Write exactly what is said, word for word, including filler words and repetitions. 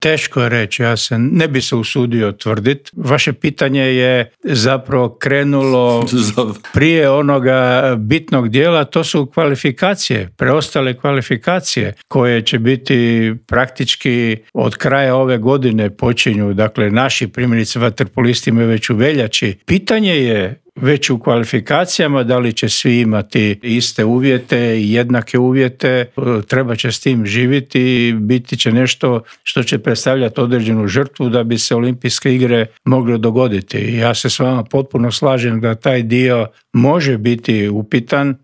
Teško je reći, ja se ne bi se usudio tvrditi. Vaše pitanje je zapravo krenulo prije onoga bitnog dijela, to su kvalifikacije, preostale kvalifikacije koje će biti praktički od kraja ove godine počinju, dakle naši primjerice vaterpolisti imaju već u veljači. Pitanje je već u kvalifikacijama da li će svi imati iste uvjete i jednake uvjete, treba će s tim živjeti i biti će nešto što će predstavljati određenu žrtvu da bi se olimpijske igre mogle dogoditi. Ja se s vama potpuno slažem da taj dio može biti upitan,